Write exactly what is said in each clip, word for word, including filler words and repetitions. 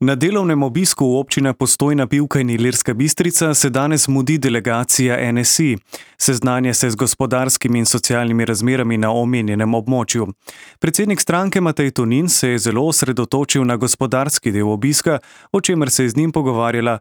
Na delovnem obisku v občina Postojna Pivka in Ilirska Bistrica se danes mudi delegacija N S I. Seznanja se z gospodarskimi in socialnimi razmerami na omenjenem območju. Predsednik stranke Matej Tonin se je zelo osredotočil na gospodarski del obiska, o čemer se je z njim pogovarjala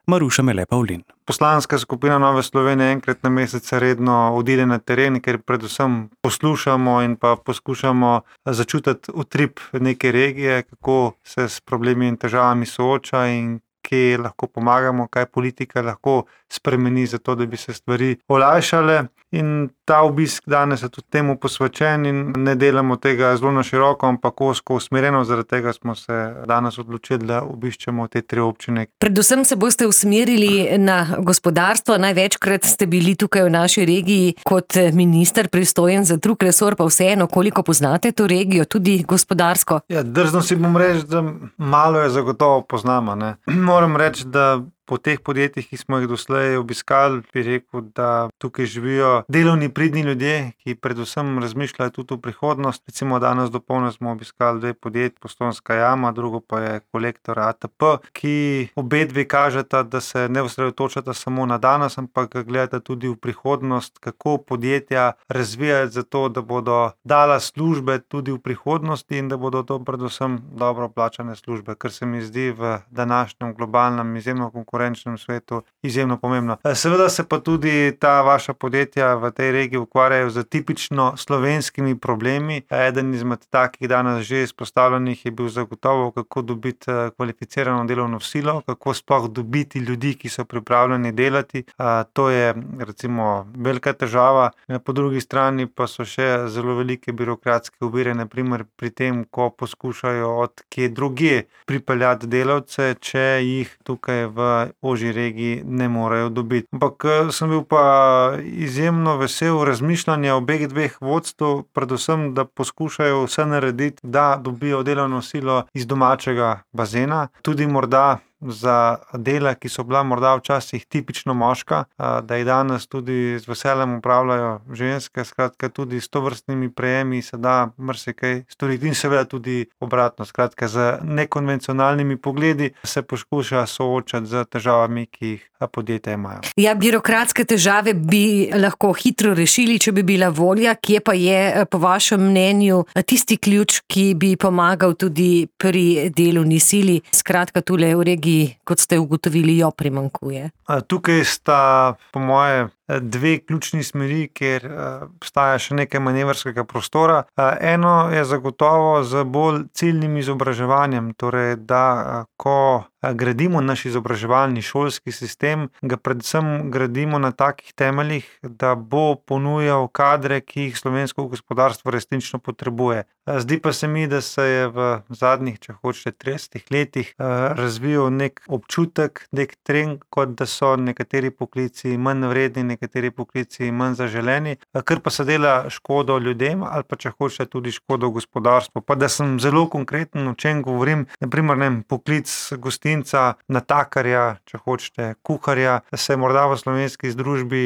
Maruša Mele Pavlin. Poslanska skupina Nove Slovenije enkrat na mesec redno odide na teren, ker predvsem poslušamo in pa poskušamo začutiti utrip neke regije, kako se s problemi in težavami sooča in kje lahko pomagamo, kaj politika lahko spremeni za to, da bi se stvari olajšale. In ta obisk danes je tudi temu posvečen in ne delamo tega zelo na široko, ampak ozko usmerjeno, zaradi tega smo se danes odločili, da obiščemo te tri občine. Predvsem se boste usmerili na gospodarstvo, največkrat ste bili tukaj v naši regiji kot minister pristojen za drug resor, pa vseeno, koliko poznate to regijo, tudi gospodarsko? Ja, drzno si bom reči, da malo je zagotovo poznamo, ne. Moram reči, da po teh podjetjih, ki smo jih doslej obiskali, bi rekel, da tukaj živijo delovni, pridni ljudje, ki predvsem razmišljajo tudi v prihodnost. Recimo danes dopoldne smo obiskali dve podjetji, Postojnska jama, drugo pa je Kolektor A T P, ki obedve kažeta, da se ne osredotočata samo na danes, ampak gledata tudi v prihodnost, kako podjetja razvijati za to, da bodo dala službe tudi v prihodnosti in da bodo to predvsem dobro plačane službe, kar se mi zdi v današnjem globalnem izjemno konkurenčnem svetu izjemno pomembno. Seveda se pa tudi ta vaša podjetja v tej regiji ukvarjajo z tipično slovenskimi problemi. Eden izmed takih danes že izpostavljenih je bil zagotovo, kako dobiti kvalificirano delovno silo, kako sploh dobiti ljudi, ki so pripravljeni delati. To je recimo velika težava. Po drugi strani pa so še zelo velike birokratske ovire, na primer pri tem, ko poskušajo od kje drugje pripeljati delavce, če jih tukaj v ožji regiji ne morejo dobiti. Ampak sem bil pa izjemno vesel razmišljanja obeh dveh vodstv, predvsem, da poskušajo vse narediti, da dobijo delovno silo iz domačega bazena, tudi morda za dela, ki so bila morda včasih tipično moška, da jih danes tudi z veseljem upravljajo ženske, skratka tudi s tovrstnimi prejemi se da marsikaj storiti in seveda tudi obratno, skratka z nekonvencionalnimi pogledi se poskuša soočati z težavami, ki jih podjetja imajo. Ja, birokratske težave bi lahko hitro rešili, če bi bila volja, kje pa je po vašem mnenju tisti ključ, ki bi pomagal tudi pri delovni sili, skratka tule v regiji, kot ste ugotovili, jo primanjkuje? Tukaj sta po moje dve ključni smeri, kjer obstaja še nekaj manevrskega prostora. Eno je zagotovo z bolj ciljnim izobraževanjem, torej da ko gradimo naš izobraževalni šolski sistem, ga predvsem gradimo na takih temeljih, da bo ponujal kadre, ki jih slovensko gospodarstvo resnično potrebuje. Zdi pa se mi, da se je v zadnjih, če hočete, tridesetih letih razvijal nek občutek, nek trend, kot da so nekateri poklici manj vredni, nekateri poklici manj zaželeni, kar pa se dela škodo ljudem ali pa če hočete tudi škodo gospodarstvu. Pa da sem zelo konkreten, o čem govorim, na primer, ne vem, poklic gostinca, natakarja, če hočete, kuharja, se je morda v slovenski družbi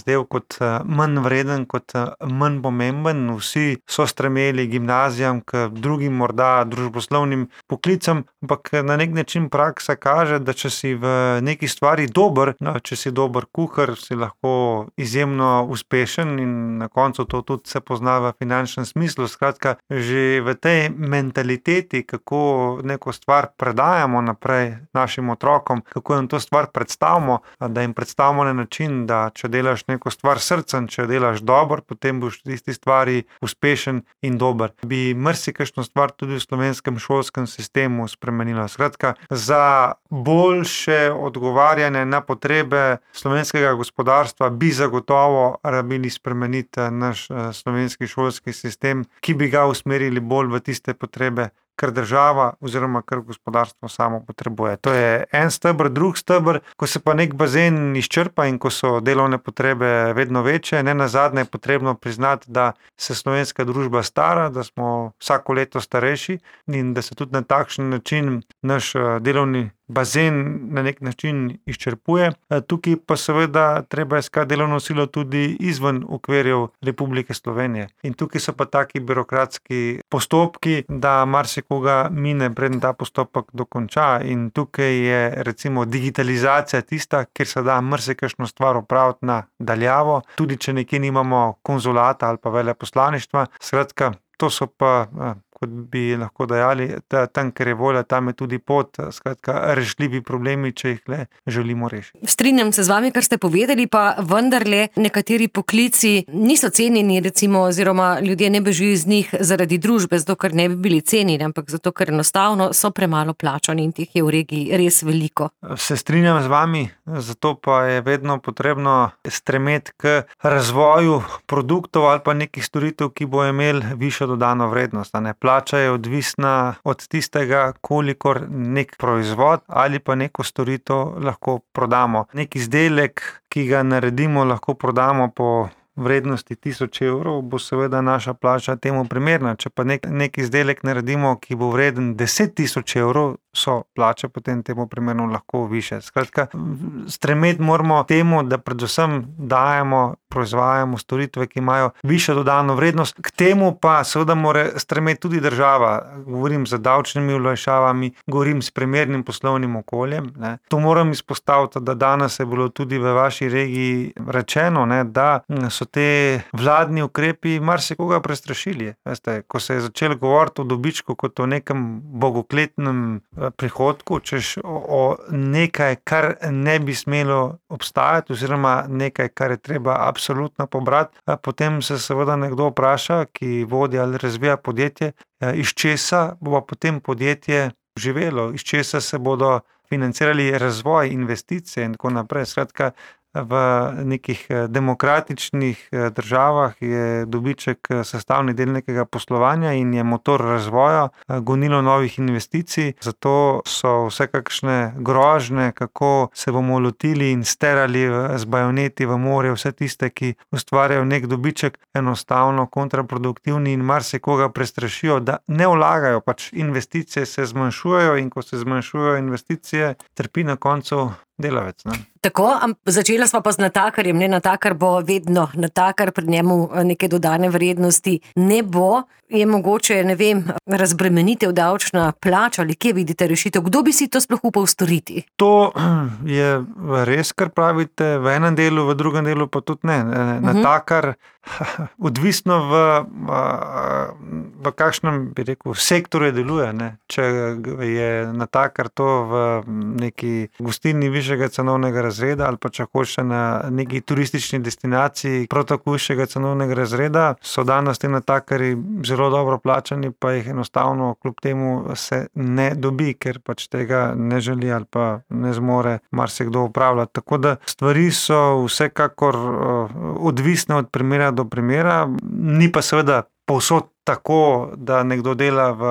zdel kot manj vreden, kot manj pomemben. Vsi so stremeli gimnazijam, k drugim morda družboslovnim poklicam, ampak na nek način praksa kaže, da če si v neki stvari dober, no, če si dober kuhar, si lahko izjemno uspešen in na koncu to tudi se pozna v finančnem smislu. Skratka, že v tej mentaliteti, kako neko stvar predajamo naprej našim otrokom, kako jim to stvar predstavimo, da jim predstavimo na način, da če delaš neko stvar srcem, če delaš dobro, potem boš v tisti stvari uspešen in dober. Bi marsikakšno stvar tudi v slovenskem šolskem sistemu spremenila. Skratka, za boljše odgovarjanje na potrebe slovenskega gospodarstva bi zagotovo rabili spremeniti naš slovenski šolski sistem, ki bi ga usmerili bolj v tiste potrebe, kar država oziroma kar gospodarstvo samo potrebuje. To je en steber, drug steber, ko se pa nek bazen izčrpa in ko so delovne potrebe vedno večje, ne nazadnje je potrebno priznati, da se slovenska družba stara, da smo vsako leto starejši in da se tudi na takšen način naš delovni bazen na nek način izčrpuje. Tukaj pa seveda treba iskati delovno silo tudi izven okvirjev Republike Slovenije. In tukaj so pa taki birokratski postopki, da marsikoga mine, preden ta postopek dokonča. In tukaj je recimo digitalizacija tista, kjer se da marsikakšno stvar opraviti na daljavo, tudi če nekje nimamo konzulata ali pa veleposlaništva. Skratka, to so pa, kot bi lahko dejali, tam, ker je volja, tam je tudi pot, skratka, rešljivi problemi, če jih le želimo rešiti. Strinjam se z vami, kar ste povedali, pa vendarle nekateri poklici niso cenjeni, recimo, oziroma ljudje ne bežijo iz njih zaradi družbe, zato ker ne bi bili cenjeni, ampak zato ker enostavno so premalo plačani in teh je v regiji res veliko. Se strinjam z vami, zato pa je vedno potrebno stremeti k razvoju produktov ali pa nekih storitev, ki bo imel višjo dodano vrednost. Ne? Plača je odvisna od tistega, kolikor nek proizvod ali pa neko storitev lahko prodamo. Nek izdelek, ki ga naredimo, lahko prodamo po vrednosti tisoč evrov, bo seveda naša plača temu primerna. Če pa nek, nek izdelek naredimo, ki bo vreden deset tisoč evrov, so plače potem temu primerno lahko više. Skratka, stremeti moramo temu, da predvsem dajemo, proizvajamo storitve, ki imajo višjo dodano vrednost. K temu pa seveda mora stremeti tudi država. Govorim z davčnimi olajšavami, govorim s primernim poslovnim okoljem. Ne. To moram izpostaviti, da danes je bilo tudi v vaši regiji rečeno, ne, da so te vladni ukrepi marsikoga prestrašili. Veste, ko se je začelo govoriti o dobičku kot o nekem bogokletnem prihodku, češ o nekaj, kar ne bi smelo obstajati, oziroma nekaj, kar je treba absolutno pobrati, potem se seveda nekdo vpraša, ki vodi ali razvija podjetje, iz česa bo potem podjetje živelo, iz česa se bodo financirali razvoj, investicije in tako naprej. Skratka, v nekih demokratičnih državah je dobiček sestavni del nekega poslovanja in je motor razvoja, gonilo novih investicij. Zato so vsekakšne grožnje, kako se bomo lotili in sterali z bajoneti v morje vse tiste, ki ustvarjajo nek dobiček, enostavno kontraproduktivni in marsikoga prestrašijo, da ne vlagajo, pač investicije se zmanjšujejo in ko se zmanjšujejo investicije, trpi na koncu delavec. Ne? Tako, začela sva pa z natakarjem, ne, natakar bo vedno natakar, pri njemu neke dodane vrednosti ne bo, je mogoče, ne vem, razbremenitev davčna plača ali kje vidite rešitev, kdo bi si to sploh upal storiti? To je res, kar pravite, v enem delu, v drugem delu pa tudi ne. Natakar, odvisno v, v kakšnem, bi rekel, sektorju deluje, ne. Če je natakar to v neki gostilni višjega cenovnega razreda ali pa če hoče na neki turistični destinaciji prav tako višjega cenovnega razreda, so danes te natakarji zelo dobro plačani, pa jih enostavno kljub temu se ne dobi, ker pač tega ne želi ali pa ne zmore marsikdo upravljati. Tako da stvari so vsekakor odvisne od primera do primera, ni pa seveda povsod tako, da nekdo dela v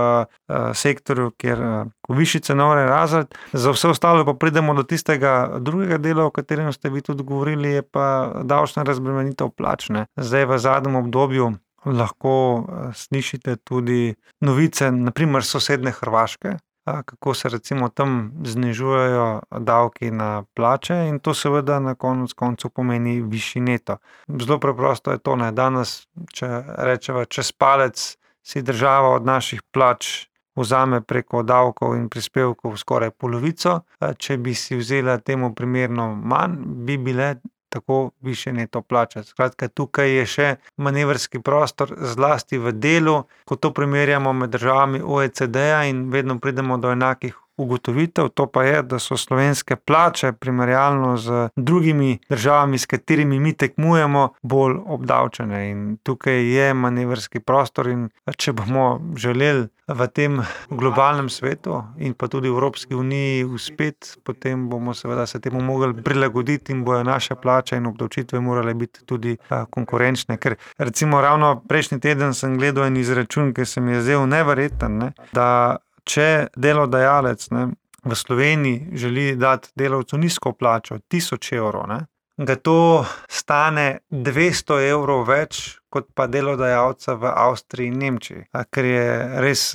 sektorju, kjer v višji cenovni razred. Za vse ostalo pa pridemo do tistega drugega dela, o katerem ste vi tudi govorili, je pa davčna razbremenitev plač. Zdaj v zadnjem obdobju lahko slišite tudi novice, na primer sosedne Hrvaške, kako se recimo tam znižujejo davki na plače in to seveda na konec koncu pomeni višji neto. Zelo preprosto je to, ne. Danes, če rečeva čez palec, si država od naših plač vzame preko davkov in prispevkov skoraj polovico. Če bi si vzela temu primerno manj, bi bile tako više neto plače. Skratka, tukaj je še manevrski prostor, zlasti v delu, ko to primerjamo med državami O E C D-ja in vedno pridemo do enakih ugotovitev, to pa je, da so slovenske plače primerjalno z drugimi državami, s katerimi mi tekmujemo, bolj obdavčene. In tukaj je manevrski prostor in če bomo želeli v tem globalnem svetu in pa tudi v Evropski uniji uspeti, potem bomo seveda se temu mogli prilagoditi in bojo naše plače in obdavčitve morale biti tudi konkurenčne. Ker recimo ravno prejšnji teden sem gledal en izračun, ki se mi je zdel neverjeten, ne, da če delodajalec, ne, v Sloveniji želi dati delavcu nizko plačo, tisoč evrov, ne, ga to stane dvesto evrov več, kot pa delodajalca v Avstriji in Nemčiji, kar je res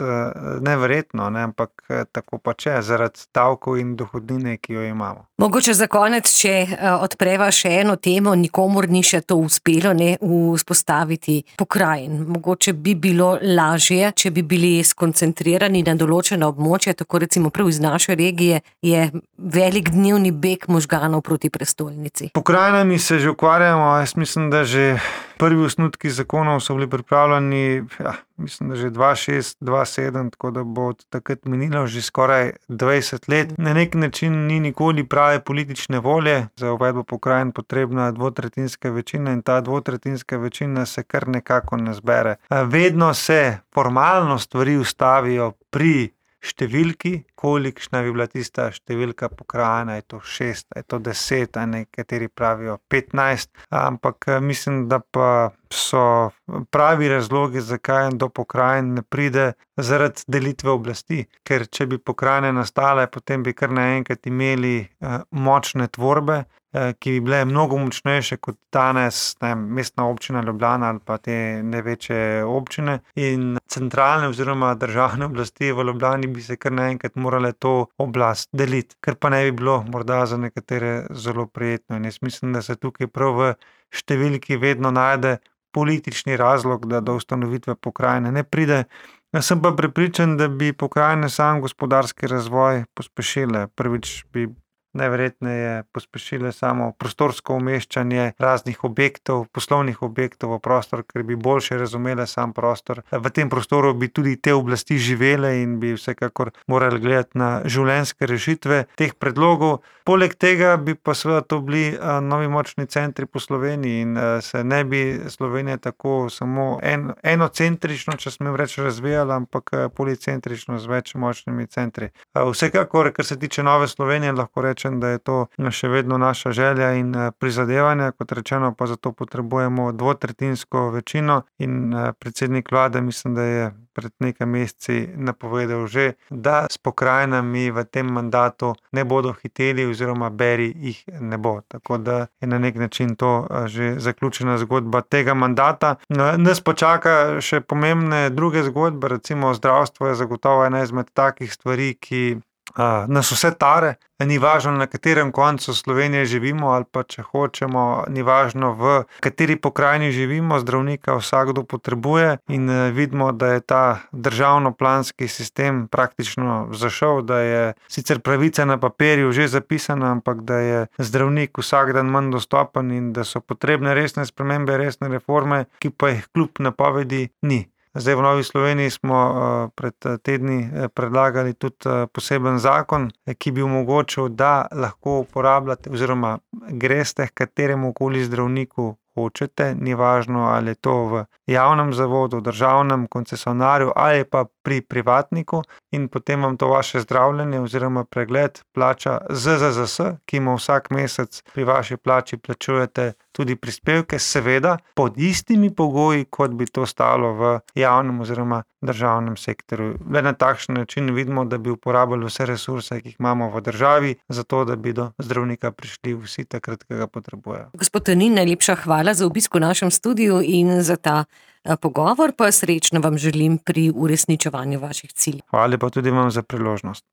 neverjetno, ne? Ampak tako pač je, zaradi davkov in dohodnine, ki jo imamo. Mogoče za konec, če odpreva še eno temo, nikomur ni še to uspelo, ne, vzpostaviti pokrajin. Mogoče bi bilo lažje, če bi bili skoncentrirani na določena območja, tako recimo prav iz naše regije je velik dnevni beg možganov proti prestolnici. Pokrajinami se že ukvarjamo, jaz mislim, da že prvi osnutki zakonov so bili pripravljeni, ja, mislim, da že dva šest, dva sedem, tako da bo od takrat minilo že skoraj dvajset let. Na nek način ni nikoli prave politične volje, za uvedbo pokrajin potrebna dvotretjinska večina in ta dvotretjinska večina se kar nekako ne zbere. Vedno se formalno stvari ustavijo pri številki, kolikšna bi bila tista številka pokrajina, je to šest, je to deset, a nekateri pravijo petnajst, ampak mislim, da pa so pravi razlogi, zakaj do pokrajin ne pride, zaradi delitve oblasti, ker če bi pokrajine nastale, potem bi kar naenkrat imeli močne tvorbe, ki bi bile mnogo močnejše kot danes, ne vem, Mestna občina Ljubljana ali pa te največje občine in centralne oziroma državne oblasti v Ljubljani bi se kar naenkrat morale to oblast deliti, kar pa ne bi bilo morda za nekatere zelo prijetno in jaz mislim, da se tukaj prav v številki vedno najde politični razlog, da do ustanovitve pokrajine ne pride. Jaz sem pa prepričan, da bi pokrajine sam gospodarski razvoj pospešile. Prvič bi najverjetneje pospešile samo prostorsko umeščanje raznih objektov, poslovnih objektov v prostor, ker bi boljše razumele sam prostor. V tem prostoru bi tudi te oblasti živele in bi vsekakor morali gledati na življenjske rešitve teh predlogov. Poleg tega bi pa seveda to bili novi močni centri po Sloveniji in se ne bi Slovenija tako samo en, enocentrično, če smem reči, razvijala, ampak policentrično z več močnimi centri. Vsekakor, kar se tiče Nove Slovenije, lahko rečem, da je to še vedno naša želja in prizadevanje, kot rečeno, pa zato potrebujemo dvotretjinsko večino in predsednik vlade mislim, da je pred nekaj meseci napovedal že, da s pokrajinami v tem mandatu ne bodo hiteli oziroma beri jih ne bo. Tako da je na nek način to že zaključena zgodba tega mandata. Nas pa čaka še pomembne druge zgodbe, recimo zdravstvo je zagotovo ena izmed takih stvari, ki Uh, nas vse tare, ni važno na katerem koncu Slovenije živimo ali pa če hočemo, ni važno v kateri pokrajini živimo, zdravnika vsakdo potrebuje in uh, vidimo, da je ta državno-planski sistem praktično zašel, da je sicer pravica na papirju že zapisana, ampak da je zdravnik vsak dan manj dostopen in da so potrebne resne spremembe, resne reforme, ki pa jih kljub napovedi ni. Zdaj v Novi Sloveniji smo pred tedni predlagali tudi poseben zakon, ki bi omogočil, da lahko uporabljate oziroma greste k kateremu koli zdravniku hočete, ni važno, ali je to v javnem zavodu, državnem koncesionarju ali pa pri privatniku in potem vam to vaše zdravljenje oziroma pregled plača Z Z Z S, ki mu vsak mesec pri vaši plači plačujete tudi prispevke, seveda pod istimi pogoji, kot bi to stalo v javnem oziroma državnem sektorju. Le na takšen način vidimo, da bi uporabljali vse resurse, ki jih imamo v državi, zato da bi do zdravnika prišli vsi takrat, ki ga potrebujejo. Gospod Tonin, najlepša hvala za obisk v našem studiu in za ta pogovor, pa srečno vam želim pri uresničevanju vaših ciljev. Hvala pa tudi vam za priložnost.